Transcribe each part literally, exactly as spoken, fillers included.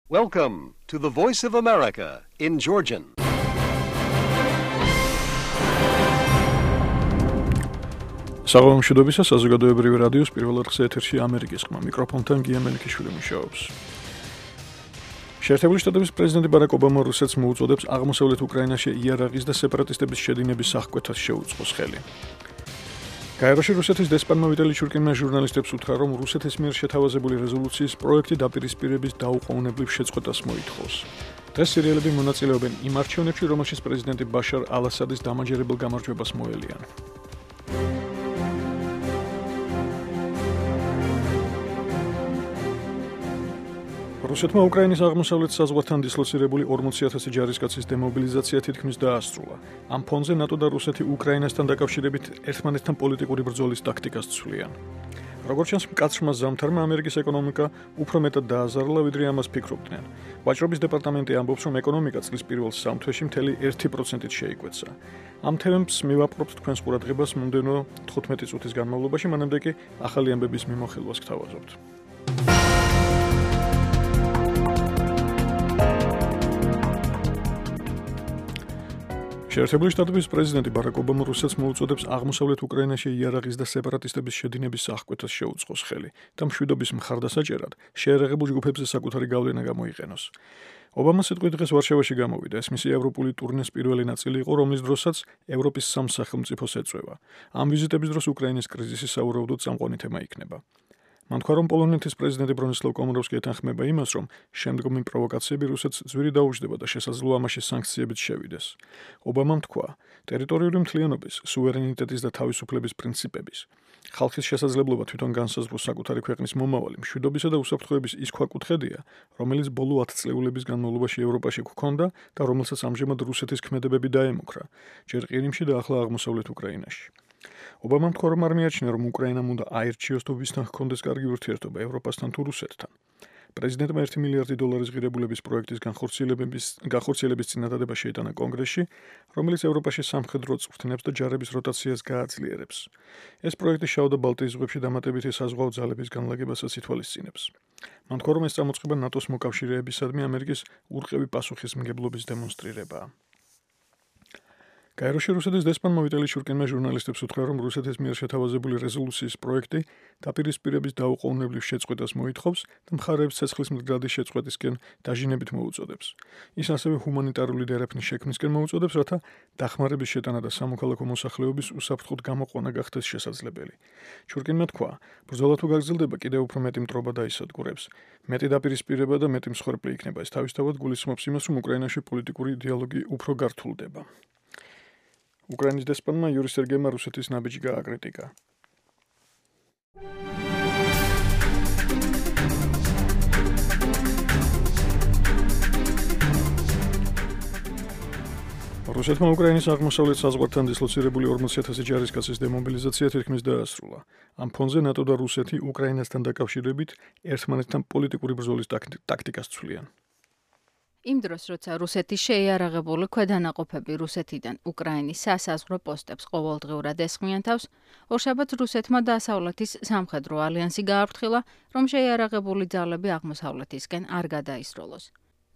Welcome to the Voice of America in Georgian. საღამომშვიდობისა საზოგადოებრივი რადიოს პირველ რიგზე ეთერში ამერიკის ხმა მიკროფონთან გია მელიქიშვილი მუშაობს. შეერთებული შტატების პრეზიდენტი ბარაკ ობამა რუსეთს მოუწოდებს აღმოსავლეთ უკრაინაში იარაღის და სეპარატისტების შედინების აღკვეთას შეუწყოს ხელი. გაეროში რუსეთის დესპანმა ვიტალი ჩურკინმა ჟურნალისტებს უთხრა, რომ რუსეთის მიერ შეთავაზებული რეზოლუციის პროექტი დაპირისპირების დაუყოვნებლივ შეწყვეტას მოითხოვს. დღეს სირიელები მონაწილეობენ იმ არჩევნებში, რომელშიც პრეზიდენტი ბაშარ ალ-ასადის დამაჯერებელ გამარჯვებას მოელიან. რუსეთმა უკრაინის აღმოსავლეთ საზღვართან დისლოცირებული ორმოცი ათასი ჯარისკაცის დემობილიზაცია თითქმის დაასრულა. ამ ფონზე ნატო და რუსეთი უკრაინასთან დაკავშირებით ერთმანეთთან პოლიტიკური ბრძოლის ტაქტიკას ცვლიან. როგორც ჩანს, მკაცრმა ზამთარმა ამერიკის ეკონომიკა უფრო მეტად დააზარალა, ვიდრე ამას ფიქრობდნენ. ვაჭრობის დეპარტამენტი ამბობს, რომ ეკონომიკა წლის პირველ სამ თვეში მთელი ერთი პროცენტით შეიკვეცა. ამ თემებს მივაპყრობთ თქვენს ყურადღებას მომდევნო თხუთმეტი წუთის განმავლობაში, მანამდე კი ახალი ამბების მიმოხილვას გთავაზობთ. შეერთებული შტატების პრეზიდენტი ბარაკ ობამა რუსეთს მოუწოდებს აღმოსავლეთ უკრაინაში იარაღის და სეპარატისტების შედინების აღკვეთას შეუწყოს ხელი და მშვიდობის მხარდასაჭერად შეერაღებულ ჯგუფებზე საკუთარი გავლენა გამოიყენოს. ობამა სიტყვით დღეს ვარშავაში გამოვიდა. ეს მისი ევროპული ტურნეს პირველი ნაწილი იყო, რომლის დროსაც ევროპის სამ სახელმწიფოს ეწვევა. ამ ვიზიტების დროს უკრაინის კრიზისი საურავდოდ წამყვანი თემა იქნება. მან თქვა, რომ პოლონეთის პრეზიდენტი ბრონისლავ კომოროვსკი ეთანხმება იმას, რომ შემდგომი პროვოკაციები რუსეთს ძვირი დაუჯდება და შესაძლოა ამაში სანქციებით შევიდეს. ობამამ თქვა, ტერიტორიული მთლიანობის, სუვერენიტეტის და თავისუფლების პრინციპების, ხალხის შესაძლებლობა თვითონ განსაზღვროს საკუთარი ქვეყნის მომავალი, მშვიდობისა და უსაფრთხოების ის ქვაკუთხედია, რომელიც ბოლო ათწლეულების განმავლობაში ევროპაში გვქონდა და რომელსაც ამჟამად რუსეთის ქმედებები დაემუქრა, ჯერ ყირიმში და ახლა აღმოსავლეთ უკრაინაში. ობამამ თქვა, რომ არ მიაჩნია, რომ უკრაინამ უნდა აირჩიოს თუ ვისთან ჰქონდეს კარგი ურთიერთობა, ევროპასთან თუ რუსეთთან. პრეზიდენტმა ერთი მილიარდი დოლარის ღირებულების პროექტის განხორციელების განხორციელების წინადადება შეიტანა კონგრესში, რომელიც ევროპაში სამხედრო წვრთნებს და ჯარების როტაციას გააძლიერებს. ეს პროექტი შავ და ბალტიის ზღვებში დამატებითი საზღვაო ძალების განლაგებასაც ითვალისწინებს. მან თქვა, რომ ეს წამოწყება ნატოს მოკავშირეებისადმი ამერიკის ურყევი პასუხისმგებლობის დემონსტრირებაა. გაეროში რუსეთის დესპანმა ვიტალი ჩურკინმა ჟურნალისტებს უთხრა, რომ რუსეთის მიერ შეთავაზებული რეზოლუციის პროექტი დაპირისპირების დაუყოვნებლივ შეწყვეტას მოითხოვს და მხარეებს ცეცხლის მდგრადი შეწყვეტისკენ დაჟინებით მოუწოდებს. ის ასევე ჰუმანიტარული დერეფნის შექმნისკენ მოუწოდებს, რათა დახმარების შეტანა და სამოქალაქო მოსახლეობის უსაფრთხოდ გამოყვანა გახდეს შესაძლებელი. ჩურკინმა თქვა, ბრძოლა თუ გაგრძელდება, კიდევ უფრო მეტი მტრობა დაისადგურებს. მეტი დაპირისპირება და მეტი მსხვერპლი იქნება. ეს თავისთავად გულისხმობს იმას, რომ უკრაინაში პოლიტიკური დიალოგი უფრო გართულდება. უკრაინის დესპანმა იური სერგეიმა რუსეთის ნაბიჯი გააკრიტიკა. რუსეთმა უკრაინის აღმოსავლეთ საზღვართან დისლოცირებული ორმოცი ათასი ჯარისკაცის დემობილიზაცია თითქმის დაასრულა. ამ ფონზე ნატო და რუსეთი უკრაინასთან დაკავშირებით ერთმანეთთან პოლიტიკური ბრძოლის ტაქტიკას ცვლიან. იმ დროს, როცა რუსეთის შეიარაღებული ქვედანაყოფები რუსეთიდან უკრაინის სასაზღვრო პოსტებს ყოველდღიურად ესხმიან თავს, ორშაბათს რუსეთმა დასავლეთის სამხედრო ალიანსი გააფრთხილა, რომ შეიარაღებული ძალები აღმოსავლეთისკენ არ გადაისროლოს.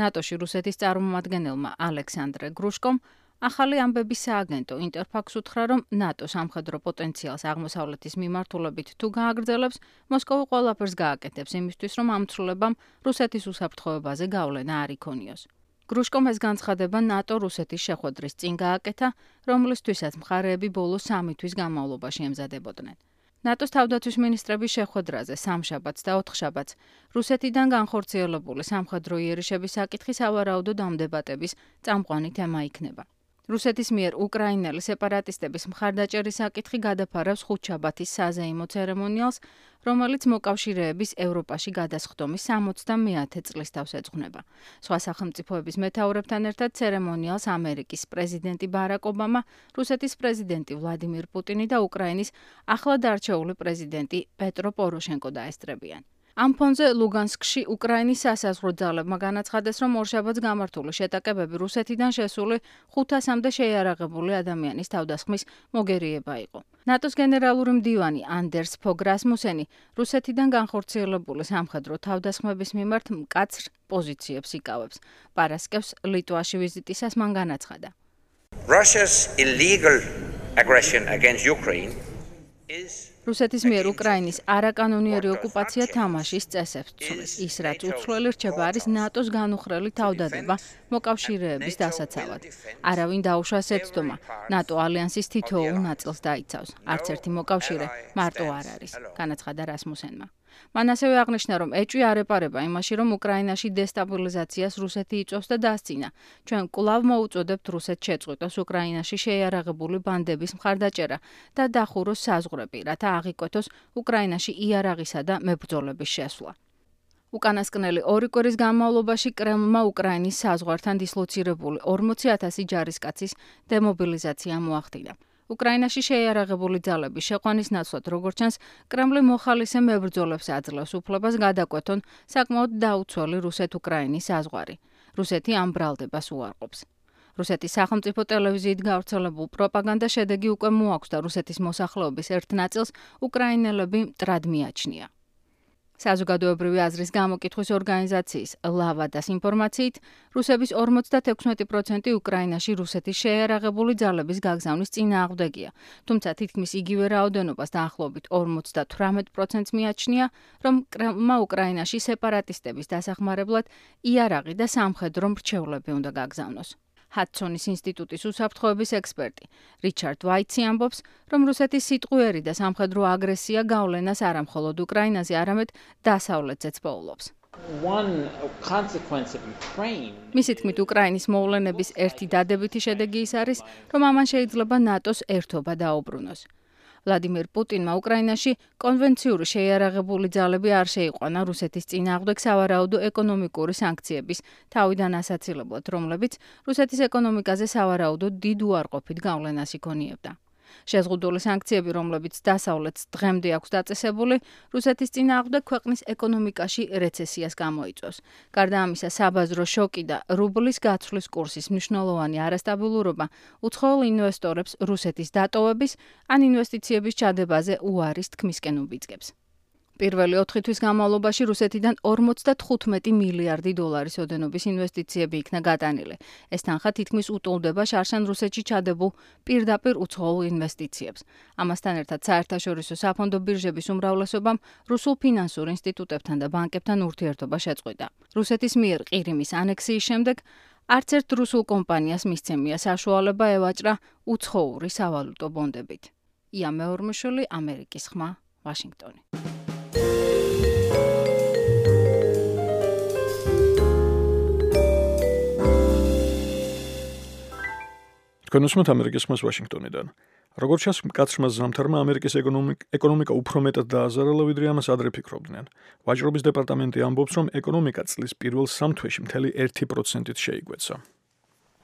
ნატოში რუსეთის წარმომადგენელმა ალექსანდრე გრუშკომ ახალი ამბების სააგენტო ინტერფაქს უთხრა, რომ ნატო სამხედრო პოტენციალს აღმოსავლეთის მიმართულებით თუ გააგრძელებს, მოსკოვი ყველაფერს გააკეთებს იმისთვის, რომ ამ ცვლილებამ რუსეთის უსაფრთხოებაზე გავლენა არ იქონიოს. გრუშკომ ეს განცხადება ნატო-რუსეთის შეხვედრის წინ გააკეთა, რომლისთვისაც მხარეები ბოლო სამი თვის განმავლობაში ემზადებოდნენ. ნატოს თავდაცვის მინისტრების შეხვედრაზე სამშაბათს და ოთხშაბათს რუსეთიდან განხორციელებული სამხედრო იერიშების საკითხი სავარაუდოდ ამ დებატების წამყვანი თემა იქნება. რუსეთის მიერ უკრაინელი სეპარატისტების მხარდაჭერის საკითხი გადაფარავს ხუთშაბათის საზეიმო ცერემონიალს, რომელიც მოკავშირეების ევროპაში გადასხდომის სამოცდამეათე წლის თავს ეძღვნება. სხვა სახელმწიფოების მეთაურებთან ერთად ცერემონიალს ამერიკის პრეზიდენტი ბარაკ ობამა, რუსეთის პრეზიდენტი ვლადიმირ პუტინი და უკრაინის ახლად არჩეული პრეზიდენტი პეტრო პოროშენკო დაესწრებიან. ამ ფონზე ლუგანსკში უკრაინის სასაზღვრო ძალებმა განაცხადეს, რომ ორშაბათს გამართული შეტაკებები რუსეთიდან შესული ხუთასამდე შეიარაღებული ადამიანის თავდასხმის მოგერიება იყო. ნატოს გენერალური მდივანი ანდერს ფოგ რასმუსენი რუსეთიდან განხორციელებული სამხედრო თავდასხმების მიმართ მკაცრ პოზიციებს იკავებს. პარასკევს ლიტვაში ვიზიტისას მან განაცხადა. Russia's illegal aggression against Ukraine is რუსეთის მიერ უკრაინის არაკანონიერი ოკუპაცია თამაშის წესებს ცვლის. ის, რაც უცვლელი რჩება, არის ნატოს განუხრელი თავდადება მოკავშირეების დასაცავად. არავინ დაუშვას ეცდომა, ნატო ალიანსის თითოეულ ნაწილს დაიცავს. არც ერთი მოკავშირე მარტო არ არის, განაცხადა რასმუსენმა. მან ასევე აღნიშნა, რომ ეჭვი არ ეპარება იმაში, რომ უკრაინაში დესტაბილიზაციას რუსეთი იწვევს და დასცინა. ჩვენ კვლავ მოუწოდებთ რუსეთს შეწყვიტოს უკრაინაში შეიარაღებული ბანდების მხარდაჭერა და დახუროს საზღვრები, რათა აღიკვეთოს უკრაინაში იარაღისა და მებრძოლების შესვლა. უკანასკნელი ორი კვირის განმავლობაში კრემლმა უკრაინის საზღვართან დისლოცირებული ორმოცი ათასი ჯარისკაცის დემობილიზაცია მოახდინა. უკრაინაში შეიარაღებული ძალების შეყვანის ნაცვლად, როგორც ჩანს, კრემლი მოხალისე მებრძოლებს აძლევს უფლებას გადაკვეთონ საკმაოდ დაუცველი რუსეთ-უკრაინის საზღვარი. რუსეთი ამ ბრალდებას უარყოფს. რუსეთის სახელმწიფო ტელევიზიით გავრცელებულ პროპაგანდა შედეგი უკვე მოაქვს და რუსეთის მოსახლეობის ერთ ნაწილს უკრაინელები მტრად მიაჩნია. საზოგადოებრივი აზრის გამოკითხვის ორგანიზაციის ლავადას ინფორმაციით, რუსების ორმოცდათექვსმეტი პროცენტი უკრაინაში რუსეთის შეიარაღებული ძალების გაგზავნის წინააღმდეგია, თუმცა თითქმის იგივე რაოდენობას დაახლოებით ორმოცდათვრამეტ პროცენტს მიაჩნია, რომ კრემლმა უკრაინაში სეპარატისტების დასახმარებლად იარაღი და სამხედრო მრჩევლები უნდა გაგზავნოს. ჰადსონის ინსტიტუტის უსაფრთხოების ექსპერტი რიჩარდ ვაიცი ამბობს, რომ რუსეთის სიტყვიერი და სამხედრო აგრესია გავლენას არა მხოლოდ უკრაინაზე, არამედ დასავლეთზეც პოულობს. მისი თქმით, უკრაინის მოვლენების ერთი დადებითი შედეგი ის არის, რომ ამან შეიძლება ნატოს ერთობა დაუბრუნოს. ვლადიმერ პუტინმა უკრაინაში კონვენციური შეიარაღებული ძალები არ შეიყვანა რუსეთის წინააღმდეგ სავარაუდო ეკონომიკური სანქციების თავიდან ასაცილებლად, რომლებიც რუსეთის ეკონომიკაზე სავარაუდო დიდ უარყოფით გავლენას იქონიებდა. შეზღუდული სანქციები, რომლებიც დასავლეთს დღემდე აქვს დაწესებული, რუსეთის წინააღმდეგ ქვეყნის ეკონომიკაში რეცესიას გამოიწვევს. გარდა ამისა, საბაზრო შოკი და რუბლის გაცვლის კურსის მნიშვნელოვანი არასტაბილურობა უცხოელ ინვესტორებს რუსეთის დატოვების ან ინვესტიციების ჩადებაზე უარის თქმისკენ უბიძგებს. პირველი ოთხი თვის განმავლობაში რუსეთიდან ორმოცდათხუთმეტი მილიარდი დოლარის ოდენობის ინვესტიციები იქნა გატანილი. ეს თანხა თითქმის უტოლდება შარშან რუსეთში ჩადებულ პირდაპირ უცხოელ ინვესტიციებს. ამასთან ერთად საერთაშორისო საფონდო ბირჟების უმრავლესობამ რუსულ ფინანსურ ინსტიტუტებთან და ბანკებთან ურთიერთობა შეწყვიტა. რუსეთის მიერ ყირიმის ანექსიის შემდეგ არც ერთ რუსულ კომპანიას მისცემია საშუალება ევაჭრა უცხოური სავალუტო ბონდებით. ია მეორმოშვილი, ამერიკის ხმა, ვაშინგტონი. თქვენ უსმენთ ამერიკის ხმას ვაშინგტონიდან. როგორც ჩანს, მკაცრმა ზამთარმა ამერიკის ეკონომიკა უფრო მეტად დააზარალა, ვიდრე ამას ადრე ფიქრობდნენ. ვაჭრობის დეპარტამენტი ამბობს, რომ ეკონომიკა წლის პირველ სამ თვეში მთელი ერთი პროცენტით შეიკვეცა.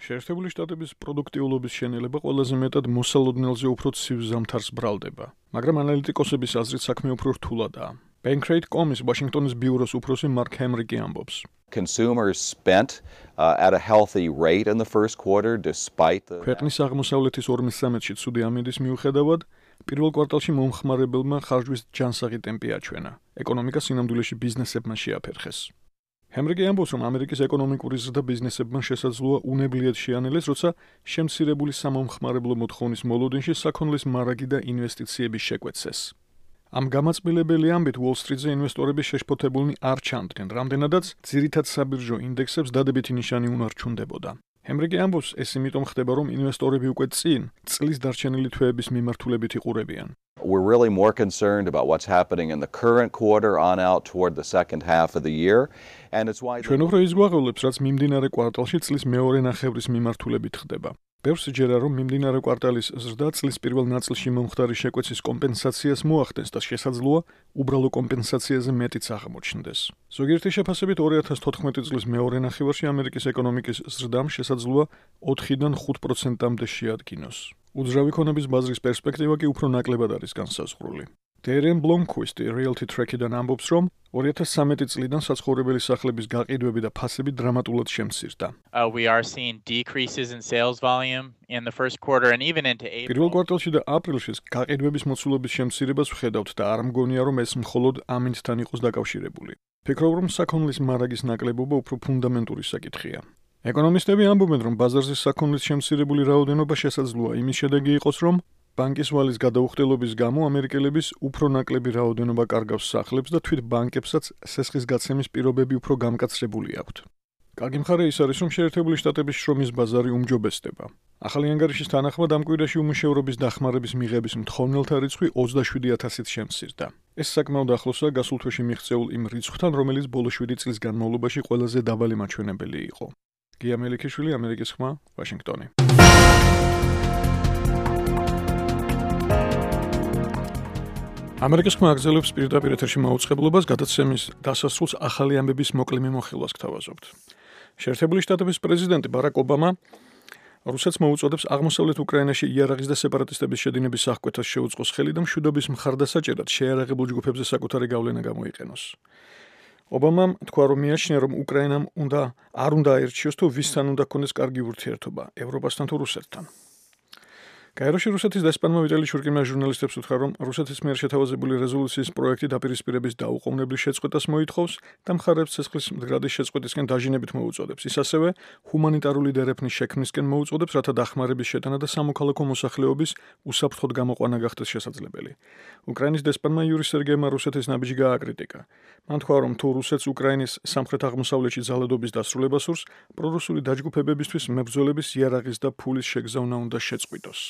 შეერთებული შტატების პროდუქტიულობის შენელება ყველაზე მეტად მოსალოდნელზე უფრო ცივ ზამთარს ბრალდება, მაგრამ ანალიტიკოსების აზრით საქმე უფრო რთულადაა. Bankrate dot com-ის ვაშინგტონის ბიუროს უფროსი მარკ ჰენრიკი ამბობს. Consumers spent uh, at a healthy rate in the first quarter despite the ქვეყნის აღმოსავლეთის ორმოცდამეტში ცუდი ამინდის მიუხედავად, პირველ კვარტალში მომხმარებელმა ხარჯვის ჯანსაღი ტემპი აჩვენა. ეკონომიკა სინამდვილეში ბიზნესებმა შეაფერხეს. ჰენრიკი ამბობს, რომ ამერიკის ეკონომიკური ზრდა ბიზნესებმა შესაძლოა უნებლიეთ შეანელეს, როცა შემცირებული სამომხმარებლო მოთხოვნის მოლოდინში საქონლის მარაგი და ინვესტიციების შეკვეცეს. ამ გამაწბილებელი ამბით Wall Street-ზე ინვესტორები შეშფოთებულნი არ ჩანდნენ, რამდენადაც ძირითად საბირჟო ინდექსებს დადებითი ნიშანი უნარჩუნდებოდა. ჰენრიკი ამბობს, ეს იმიტომ ხდება, რომ ინვესტორები უკვე წინ წლის დარჩენილი თვეების მიმართულებით იყურებიან. We're really more concerned about what's happening in the current quarter on out toward the second half of the year, and it's why ჩვენ უფრო ის გვაღვლებს, რაც მიმდინარე კვარტალში წლის მეორე ნახევრის მიმართულებით ხდება. ბევრს ჯერა, რომ მიმდინარე კვარტალის ზრდა წლის პირველ ნაწილში მომხდარი შეკვეცის კომპენსაციას მოახდენს და შესაძლოა უბრალო კომპენსაციაზე მეტიც აღმოჩნდეს. ზოგიერთი შეფასებით ორი ათას თოთხმეტი წლის მეორე ნახევარში ამერიკის ეკონომიკის ზრდამ შესაძლოა ოთხიდან ხუთ პროცენტამდე შეადგინოს. უძრავი ქონების ბაზრის პერსპექტივა კი უფრო ნაკლებად არის განსაზღვრული. Terem Blomqvist Realty Track-დან ამბობს, რომ two thousand thirteen წლიდან საცხოვრებელი სახლების გაყიდვები და ფასები დრამატულად შემცირდა. Uh, we are seeing decreases in sales volume in the first quarter and even into April. პირველ კვარტალში და აპრილში გაყიდვების მოცულობის შემცირებას ვხედავთ და არ მგონია, რომ ეს მხოლოდ ამინდთან იყოს დაკავშირებული. ფიქრობ, რომ საქონლის მარაგის ნაკლებობა უფრო ფუნდამენტური საკითხია. ეკონომისტები ამბობენ, რომ ბაზარზე საქონლის შემცირებული რაოდენობა შესაძლოა იმის შედეგი იყოს, რომ ბანკის ვალის გადაუხდელობის გამო ამერიკელების უფრო ნაკლები რაოდენობა კარგავს სახლებს და თვით ბანკებსაც სესხის გაცემის პირობები უფრო გამკაცრებული აქვთ. კარგი მხარე ის არის, რომ შეერთებული შტატების შრომის ბაზარი უმჯობესდება. ახალი ანგარიშის თანახმად ამ კვირაში უმუშევრობის დახმარების მიღების მთხოვნელთა რიცხვი ოცდაშვიდი ათასით შემცირდა. ეს საკმაოდ ახლოსაა გასულ თვეში მიღწეულ იმ რიცხვთან, რომელიც ბოლო შვიდი წლის განმავლობაში ყველაზე დაბალი მაჩვენებელი იყო. გია მელიქიშვილი, ამერიკის ხმა, ვაშინგტონი. ამერიკის ხმა აგრძელებს პირდაპირ ეთერში მაუწყებლობას გადაცემის დასასრულს ახალი ამბების მოკლე მიმოხილვას გთავაზობთ. შეერთებული შტატების პრეზიდენტი ბარაკ ობამა რუსეთს მოუწოდებს აღმოსავლეთ უკრაინაში იარაღის და სეპარატისტების შედინების აღკვეთას შეუწყოს ხელი და მშვიდობის მხარდასაჭერად შეიარაღებულ ჯგუფებზე საკუთარი გავლენა გამოიყენოს. ობამამ თქვა, რომ მიაჩნია, რომ უკრაინამ უნდა არ უნდა აერჩიოს თუ ვისთან უნდა ქონდეს კარგი ურთიერთობა, ევროპასთან თუ რუსეთთან. გაეროში რუსეთის დესპანმა ვიტალი შურკინმა ჟურნალისტებს უთხრა, რომ რუსეთის მიერ შეთავაზებული რეზოლუციის პროექტი დაპირისპირების დაუყოვნებლივ შეწყვეტას მოითხოვს და მხარებს ცეცხლის მდგრადის შეწყვეტისკენ დაჟინებით მოუწოდებს. ის ასევე ჰუმანიტარული დერეფნის შექმნისკენ მოუწოდებს, რათა დახმარების შეტანა და სამოქალაქო მოსახლეობის უსაფრთხოდ გამოყვანა გახდეს შესაძლებელი. უკრაინის დესპანმა იური სერგეევმა რუსეთის ნაბიჯი გააკრიტიკა. მან თქვა, რომ თუ რუსეთს უკრაინის სამხრეთ აღმოსავლეთში ძალადობის დასრულებას სურს, პრორუსული დაჯგუფებებისთვის მებრძოლების იარაღის და ფულის შეგზავნა უნდა შეწყვიტოს.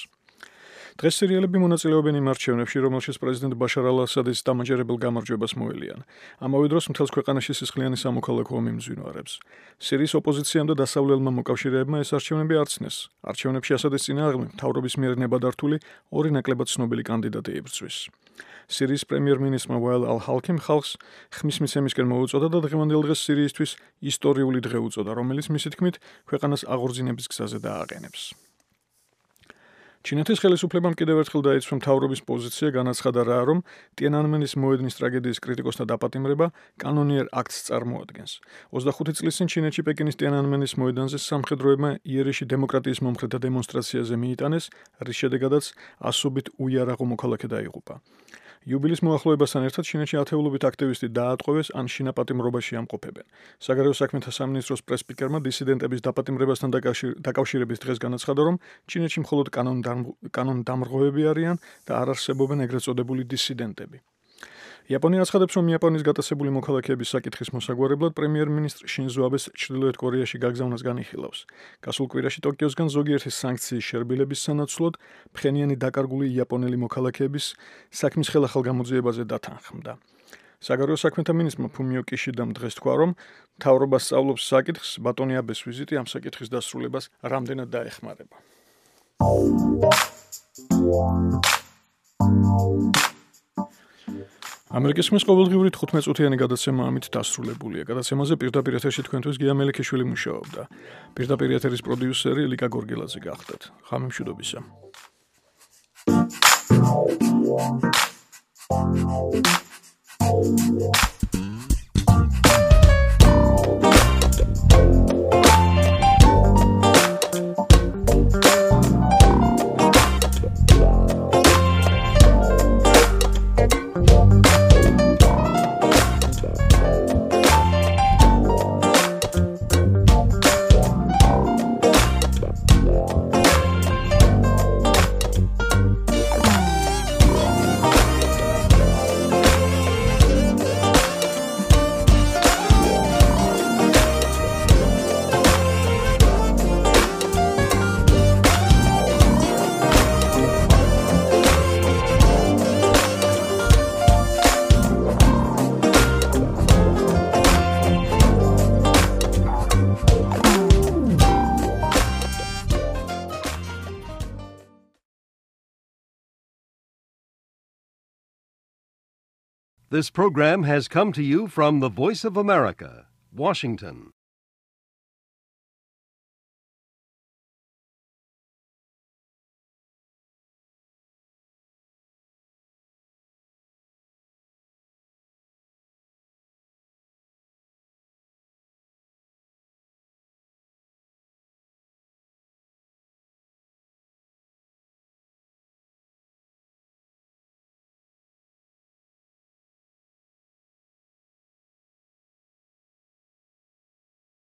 დღეს სირიელები მონაწილეობენ იმ არჩევნებში, რომელშიც პრეზიდენტ ბაშარ ალ-ასადის დამაჯერებელ გამარჯვებას მოელიან. ამავე დროს მთელს ქვეყანაში სისხლიანი სამოქალაქო ომი მძვინვარებს. სირიის ოპოზიციამ და დასავლელმა მოკავშირეებმა ეს არჩევნები არცნეს. არჩევნებში ასადის წინააღმდეგ მთავრობის მიერ ნებადართული ორი ნაკლებად ცნობილი კანდიდატი იბრძვის. სირიის პრემიერ-მინისტრმა ვაილ ალ-ჰალქიმ ხალხს ხმის მიცემისკენ მოუწოდა და დღევანდელ დღეს სირიისთვის ისტორიული დღე უწოდა, რომელიც მისი თქმით ქვეყანას აღორძინების გზაზე დააყენებს. ჩინეთის ხელისუფლებამ კიდევ ერთხელ დაიცვა მთავრობის პოზიცია, განაცხადა რა, რომ ტიანანმენის მოედნის ტრაგედიის კრიტიკოსთა დაპატიმრება კანონიერ აქტს წარმოადგენს. ოცდახუთი წლის წინ ჩინეთში პეკინის ტიანანმენის მოედანზე სამხედროებმა იერიში დემოკრატიის მომხრეთა დემონსტრაციაზე მიიტანეს, რის შედეგადაც ასობით უიარაღო მოქალაქე დაიღუპა. იუბილის მოახლოებასთან ერთად ჩინეთში ათეულობით აქტივისტი დაატყვევეს ან შინაპატიმრობაში ამყოფებენ. საგარეო საქმეთა სამინისტროს პრეს-სპიკერმა დისიდენტების დაპატიმრებასთან დაკავშირების დღეს განაცხადა, რომ ჩინეთში მხოლოდ კანონდამრღვევები არიან და არ არსებობენ ეგრეთ წოდებული დისიდენტები. იაპონია აცხადებს, რომ იაპონიის გატაცებული მოქალაქეების საკითხის მოსაგვარებლად პრემიერ-მინისტრ შინზო აბეს ჩრდილოეთ კორეაში გაგზავნას განიხილავს. გასულ კვირაში ტოკიოსგან ზოგიერთი სანქციის შერბილების სანაცვლოდ ფხენიანი დაკარგული იაპონელი მოქალაქეების საქმის ხელახალ გამოძიებაზე დათანხმდა. საგარეო საქმეთა მინისტრმა ფუმიო კიშიდამ დღეს თქვა, რომ მთავრობა სწავლობს საკითხს, ბატონი აბეს ვიზიტი ამ საკითხის დასრულებას რამდენად დაეხმარება. ამერიკის ხმის ყოველდღიური თხუთმეტ წუთიანი გადაცემა ამით დასრულებულია. გადაცემაზე პირდაპირ ეთერში თქვენთვის გია მელიქიშვილი მუშაობდა. პირდაპირ ეთერის პროდიუსერი ლიკა გორგილაძე გახდათ. ხამე მშვიდობისა. This program has come to you from the Voice of America, Washington.